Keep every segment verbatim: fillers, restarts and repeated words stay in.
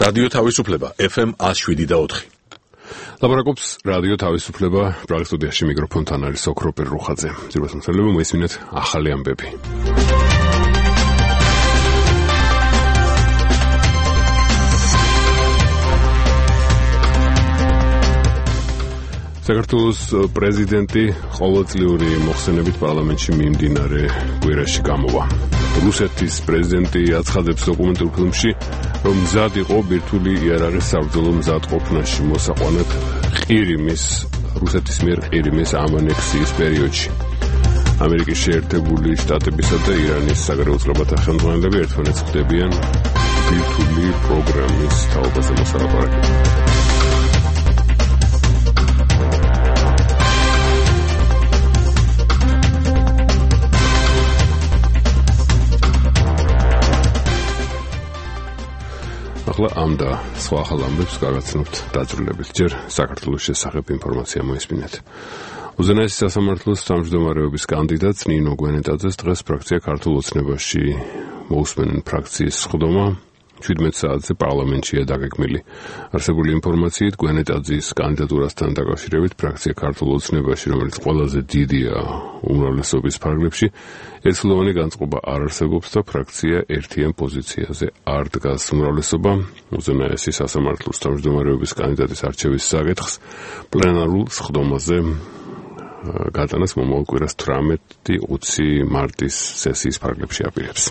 რადიო თავისუფლება ეფ ემ one oh seven და four. ლაბორაკობს რადიო თავისუფლება პრაღის სტუდიაში მიკროფონთან არის ოქრო პერუხაძე. ძირითადად მოსწავლეები მოისმინეთ ახალი ამბები. საქართველოს პრეზიდენტი ყოველწლიური მოხსენებით პარლამენტში მიმდინარე კვირაში გამოვა. რუსეთის პრეზიდენტი აცხადებს დოკუმენტურ ფილმში, რომ მზად იყო ბირთვული იარაღის საბრძოლო მზადყოფნაში მოსაყვანად ყირიმის, რუსეთის მიერ ყირიმის ამანექსიის პერიოდში. ამერიკის შეერთებული შტატებისა და ირანის საგარეო უწყებათა ხელმძღვანელები ერთმანეთს ხვდებიან ბირთვული პროგრამის თაობაზე მოსალაპარაკებლად. ახლა ამ და სხვა ახალ ამბებს გავაცნობთ დაძრულებით. ჯერ საქართველოს შესახებ ინფორმაცია მოისმინეთ. უზენაესი სასამართლოს თავმჯდომარეობის კანდიდატს ნინო გვენეტაძეს დღეს ფრაქცია ქართულ ოცნებაში მოусმენენ ფრაქციის სხდომა seventeen საათზე პარლამენტშია დაგეგმილი. არსებული ინფორმაციით გვენეტაძის კანდიდატურასთან დაკავშირებით ფრაქცია ქართულ ოცნებაში, რომელიც ყველაზე დიდია უმრავლესობის ფარგლებში, ერთსულოვანი განწყობა არ არსებობს და ფრაქცია ერთიან პოზიციაზე არ დგას. უმრავლესობა უზენაესი სასამართლოს თავმჯდომარეობის კანდიდატის არჩევის საკითხს პლენარულ სხდომაზე გატანას მომავალ კვირას eighteen მარტის სესიის ფარგლებში აპირებს.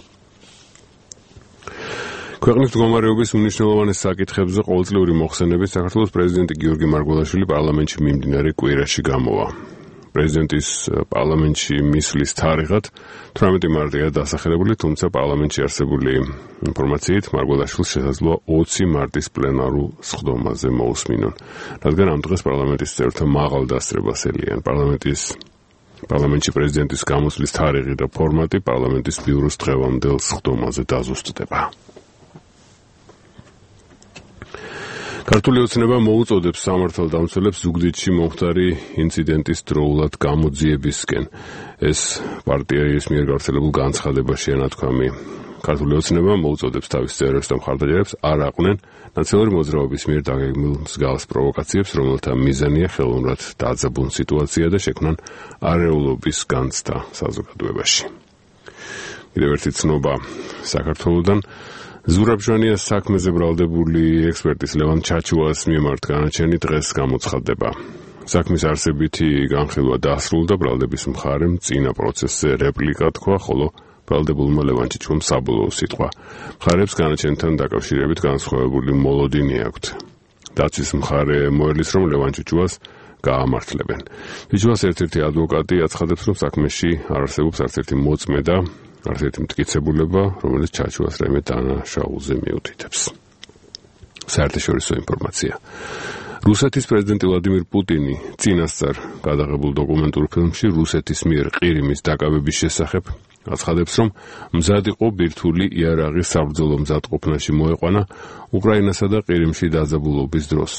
ქვეყნის მდგომარეობის უმნიშვნელოვანეს საკითხებზე ყოველწლიური მოხსენებით საქართველოს პრეზიდენტი გიორგი მარგველაშვილი პარლამენტში მიმდინარე კვირაში გამოვა. პრეზიდენტის პარლამენტში მისვლის თარიღად eighteen მარტია დასახელებული, თუმცა პარლამენტში არსებული ინფორმაციით მარგველაშვილს შესაძლოა twenty მარტის პლენარულ სხდომაზე მოусმინონ, რადგან ამ დღეს პარლამენტის წევრთა მაღალ დასწრებას ელიან. პარლამენტის პარლამენტში პრეზიდენტის გამოსვლის თარიღი და ფორმატი პარლამენტის ბიუროს დღევანდელ სხდომაზე დაზუსტდება. ქართული ოცნება მოუწოდებს სამართალდამცველებს ზუგდიდში მომხდარი ინციდენტის დროულად გამოძიებისკენ. ეს პარტიის მიერ გავრცელებულ განცხადებაშია ნათქვამი. ქართული ოცნება მოუწოდებს თავის წევრებს და მხარდაჭერებს არ აყვნენ ნაციონალური მოძრაობის მიერ დაგეგმილ მსგავს პროვოკაციებს, რომელთა მიზანია ხელოვნურად დაძაბულ სიტუაცია და შექმნან არეულობის განცდა საზოგადოებაში. კიდევ ერთი ცნობა საქართველოდან. ზურაბჟანიას საქმეზე ბრალდებული ექსპერტის ლევან ჩაჩუას მიმართ განაჩენი დღეს გამოცხადდება. საქმის არსებითი განხილვა დასრულდა, ბრალდების მხარემ წინა პროცესზე რეპლიკა თქვა, ხოლო ბრალდებულმა ლევან ჩაჩუამ საბოლოო სიტყვა. მხარებს განაჩენთან დაკავშირებით განსხვავებული მოლოდინი აქვთ. დაცვის მხარე მოელის, რომ ლევან ჩაჩუას გაამართლებენ. ჩაჩუას ერთ-ერთი ადვოკატი აცხადებს, რომ საქმეში არ არსებობს არც ერთი მოწმე და არც ერთი მტკიცებულება, რომელიც ჩაჩუას რაიმე დანაშაულზე მიუთითებს. საერთაშორისო ინფორმაცია. რუსეთის პრეზიდენტი ვლადიმირ პუტინი წინასწარ გადაღებულ დოკუმენტურ ფილმში რუსეთის მიერ ყირიმის დაკავების შესახებ აცხადებს, რომ მზად იყო ბირთვული იარაღის საბრძოლო მზადყოფნაში მოეყვანა უკრაინასა და ყირიმში დაძაბულობის დროს.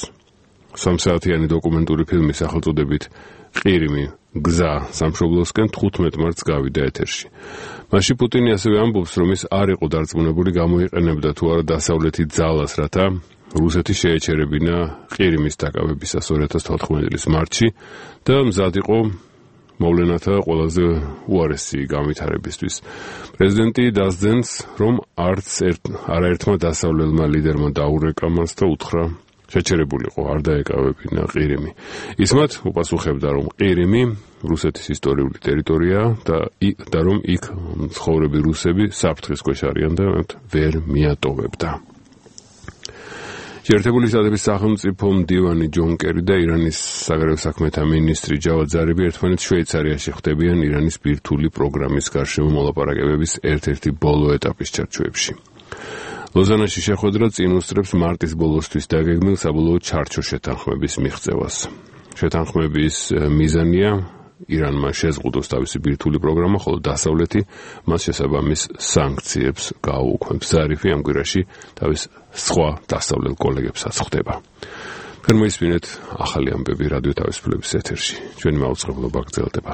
სამსაათიანი დოკუმენტური ფილმის სახელწოდებით ყირიმი გზა სამშობლოსკენ თხუთმეტ მარტს გავიდა ეთერში. მაშინ პუტინი ასევე ამბობს, რომ ის არ იყო დარწმუნებული გამოიყენებდა თუ არა დასავლეთის ძალას, რათა რუსეთი შეეჩერებინა ყირიმის დაკავებისას two thousand fourteen წლის მარტში და მზად იყო მოვლენათა ყველაზე უარესი განვითარებისთვის. პრეზიდენტი დასძენს, რომ არც არაერთმა დასავლელმა ლიდერმა დაურეკა მას და უთხრა შეჩერებულიყო, არ დაეკავებინა ყირიმი. ის მათ უპასუხებდა, რომ ყირიმი რუსეთის ისტორიული ტერიტორია და, და რომ იქ მცხოვრები რუსები საფრთხის ქვეშ არიან და ვერ მიატოვებდა. შეერთებული შტატების სახელმწიფო მდივანი ჯონ კერი და ირანის საგარეო საქმეთა მინისტრი ჯავად ზარიფი ერთმანეთს შვეიცარიაში ხვდებიან ირანის ბირთვული პროგრამის გარშემო მოლაპარაკებების ერთ-ერთი ბოლო ეტაპის ჩარჩოებში. ლოზანაში შეხვედრა წინ უსწრებს მარტის ბოლოსთვის დაგეგმილ საბოლოო ჩარჩო შეთანხმების მიღწევას. შეთანხმების მიზანია ირანმა შეზღუდოს თავისი ბირთვული პროგრამა, ხოლო დასავლეთი მას შესაბამის სანქციებს გააუქმებს. ზარიფი ამ კვირაში თავის სხვა დასავლელ კოლეგებსაც ხვდება. მოისმინეთ ახალი ამბები რადიო თავისუფლების ეთერში. ჩვენი მაუწყებლობა გრძელდება.